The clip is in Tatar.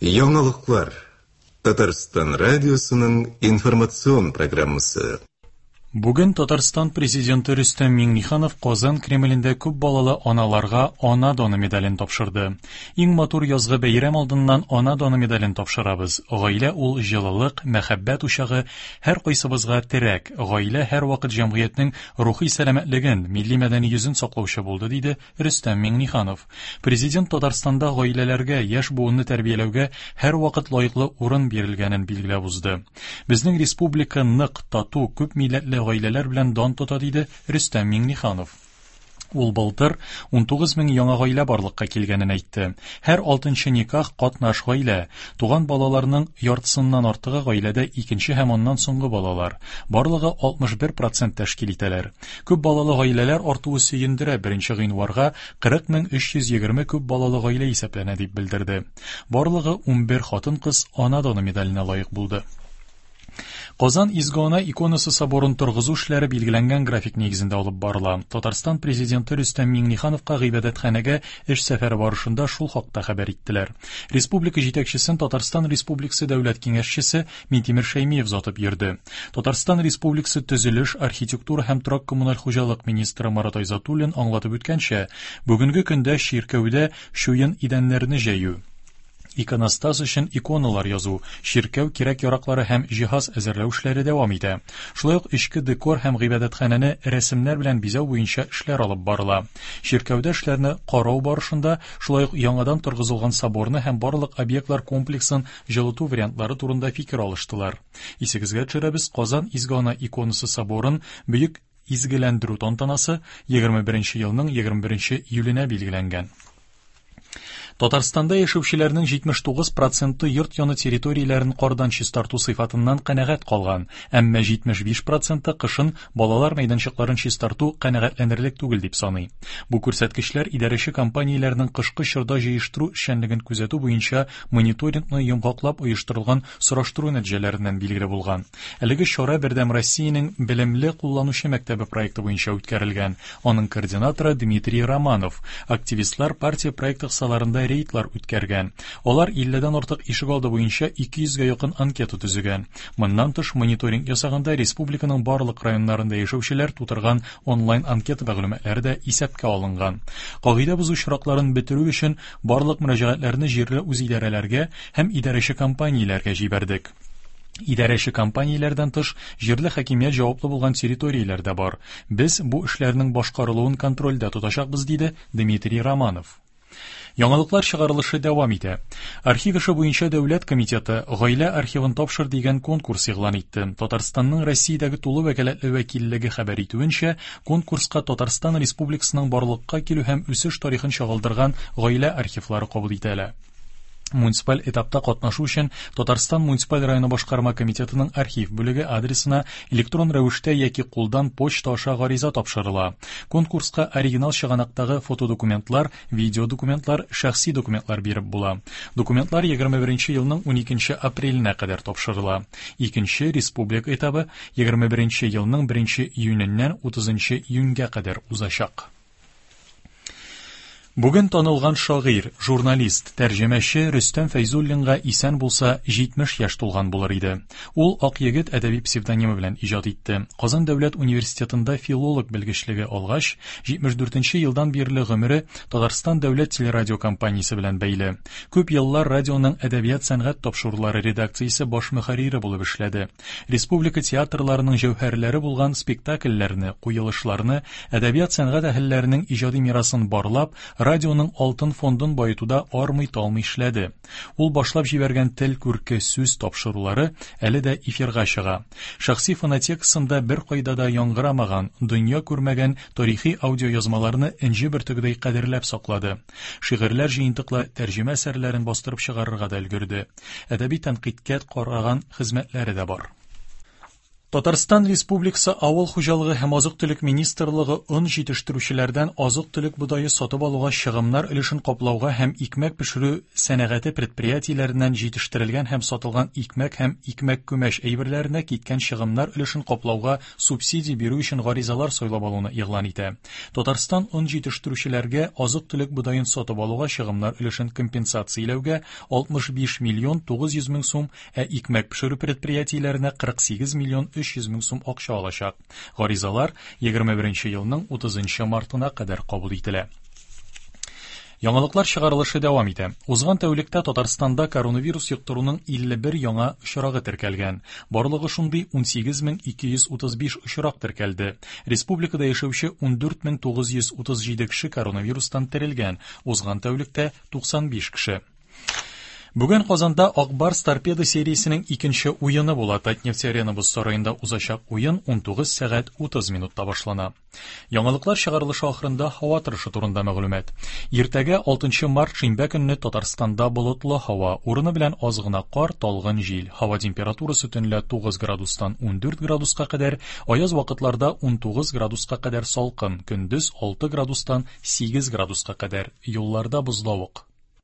Яңалыклар. Татарстан радиосының информацион программасы. Бүген Татарстан Президенты Рөстәм Миңнеханов Казан Кремлендә күп балалы аналарга Ана даны медален тапшырды. Иң матур язгы бәйрәм алдыннан Ана даны медален тапшырабыз. Гаилә ул җылылык, мәхәббәт учагы, һәркайсыбызга терәк. Гаилә һәрвакыт җәмгыятьнең рухи сәламәтлеген, милли-мәдәни йөзен саклаучы булды, диде Рөстәм Миңнеханов. Президент Татарстанда гаиләләргә, яшь буынны тәрбияләүгә һәрвакыт лаеклы урын бирелгәнен билгеләп узды. Безнең республика нык, тату, күп милләтле гаиләләр белән дан тота, диде Рөстәм Миңнеханов. Ул былтыр 19 мең яңа гаилә барлыкка килгәнен әйтте. Һәр алтынчы никах катнаш гаилә. Туган балаларның яртысыннан артыгы гаиләдә икенче һәм аннан соңгы балалар. Барлыгы 61 процент тәшкил итәләр. Күп балалы гаиләләр артуы сөендерә, беренче гыйнварга 40 320 күп балалы гаилә исәпләнә, дип белдерде. Барлыгы 11 хатын-кыз Ана даны медаленә лаек булды. Казан Изге Ана иконасы соборын торгызу эшләре билгеләнгән график нигезендә алып барыла. Татарстан Президенты Рөстәм Миңнехановка гыйбадәтханәгә эш сәфәре барышында шул хакта хәбәр иттеләр. Республика җитәкчесен Татарстан Республикасы Дәүләт Киңәшчесе Минтимер Шәймиев озатып йөрде. Татарстан Республикасы төзелеш, архитектура һәм торак-коммуналь хуҗалык министры Марат Айзатуллин аңлатып үткәнчә, бүгенге көндә чиркәүдә чуен идәннәрне җәю, иконостас өчен иконалар язу, чиркәү кирәк-яраклары һәм җиһаз әзерләү эшләре дәвам итә. Шулай ук эчке декор һәм гыйбадәтханәне рәсемнәр белән бизәү буенча эшләр алып барыла. Чиркәүдә эшләрне карау барышында шулай ук яңадан торгызылган соборны һәм барлык объектлар комплексын җылыту вариантлары турында фикер алыштылар. Исегезгә төшерәбез, Казан Изге Ана иконасы соборын бөек изгеләндерү тантанасы 21 елның 21 июленә билгеләнгән. Татарстанда яшәүчеләрнең 79 проценты йорт яны территорияләрен кардан чистарту сыйфатыннан канәгать калган, әмма 75 проценты кышын балалар мәйданчыкларын чистарту канәгатьләнерлек түгел дип саный. Бу күрсәткечләр идарәче компанияләрнең кышкы чорда җыештыру эшчәнлеген күзәтү буенча мониторингны йомгаклап оештырылган сораштыру нәтиҗәләреннән билгеле булган. Әлеге чара Бердәм Россиянең Белемле кулланучы мәктәбе проекты буенча үткәрелгән. Аның координаторы Дмитрий Романов. Активистлар партия проекты кысаларында рейдлар үткәргән. Алар 50дән артык ишегалды буенча 200гә якын анкета төзегән. Моннан тыш, мониторинг ясаганда республиканың барлык районнарында яшәүчеләр тутырган онлайн анкета мәгълүматлары да исәпкә алынган. Кагыйдә бозу очракларын бетерү өчен барлык мөрәҗәгатьләрне җирле үзидарәләргә һәм идарәче компанияләргә җибәрдек. Идарәче компанияләрдән тыш, җирле хакимият җаваплы булган территорияләр дә бар. Без бу эшләрнең башкарылуын контрольдә тотачакбыз, диде Дмитрий Романов. Яңалыклар чыгарылышы дәвам итә. Архив эше буенча дәүләт комитеты Гаилә архивын тапшыр дигән конкурс игълан итте. Татарстанның Россиядәге тулы вәкаләтле вәкиллеге хәбәр итүенчә, конкурска Татарстан Республикасының барлыкка килү һәм үсеш тарихын чагылдырган гаилә архивлары кабул ителә. Муниципаль этапта катнашу өчен Татарстан муниципаль районы башкарма комитетының архив бүлеге адресына электрон рәвештә яки кулдан почта аша гариза тапшырыла. Конкурска оригинал чыганактагы фотодокументлар, видеодокументлар, шәхси документлар биреп була. Документлар 21 елның 12 апреленә кадәр тапшырыла. Икенче республика этабы 21 елның 1 июненнән 30 июньгә кадәр узачак. Бүген танылган шагыйрь, журналист, тәрҗемәче Рөстәм Фәйзуллинга исән булса 70 яшь тулган булыр иде. Ул Ак егет әдәби псевдонимы белән иҗат итте. Казан дәүләт университетында филолог белгечлеге алгач, 74 елдан бирле гомере Татарстан дәүләт телерадиокомпаниясе белән бәйле. Күп еллар радионың әдәбият-сәнгать тапшырулары редакциясе баш мөхәррире булып эшләде. Республика театрларының җәүһәрләре булган спектакльләрне, куелышларны, әдәбият-сәнгать әһелләренең иҗади мирасын барлап, радионың алтын фондын баетуда армый-талмый эшләде. Ул башлап җибәргән Тел күрке сүз тапшырулары әле дә эфирга чыга. Шәхси фонотекасында беркайда да яңгырамаган, дөнья күрмәгән тарихи аудиоязмаларны энҗе бөртегедәй кадерләп саклады. Шигырьләр җыентыклы тәрҗемә әсәрләрен бастырып чыгарырга да өлгерде. Әдәби тәнкыйтькә караган хезмәтләре дә бар. Татарстан Республикасы Авыл хуҗалыгы һәм азык-төлек министрлыгы он җитештерүчеләрдән азык-төлек бодае сатып алуга чыгымнар өлешен каплауга һәм икмәк пешерү сәнәгате предприятиеләреннән җитештерелгән һәм сатылган икмәк һәм икмәк-күмәч әйберләренә киткән чыгымнар өлешен каплауга субсидия бирү өчен гаризалар сайлап алуны игълан итә. Татарстан он җитештерүчеләргә азык-төлек бодаен сатып алуга чыгымнар өлешен компенсацияләүгә 65 миллион 900 мең сум, ә икмәк пешерү предприятиеләренә 48 миллион 300 мең сум акча алачак. Гаризалар 21 елның 30 мартына кадәр кабул ителә. Яңалыклар чыгарылышы дәвам итә. Узган тәүлектә Татарстанда коронавирус йоктыруның 51 яңа очрагы теркәлгән. Барлыгы шундый 18235 очрак теркәлде. Республикада яшәүче 14937 кеше коронавирустан терелгән. Узган тәүлектә 95 кеше. Бүген Казанда Ак Барс Торпедо сериясенең икенче уены була. Татнефть Арена боз сараенда узачак уен 19 сәгать 30 минутта башлана. Яңалыклар чыгарылышы ахырында һава торышы турында мәгълүмат. Иртәгә 6 март шимбә көнне Татарстанда болытлы һава, урыны белән аз гына кар, талгын җил. Һава температурасы төнлә 9 градустан 14 градуска кадәр, аяз вакытларда 19 градуска кадәр салкын, көндез 6 градустан 8 градуска кадәр. Юлларда бозлавык.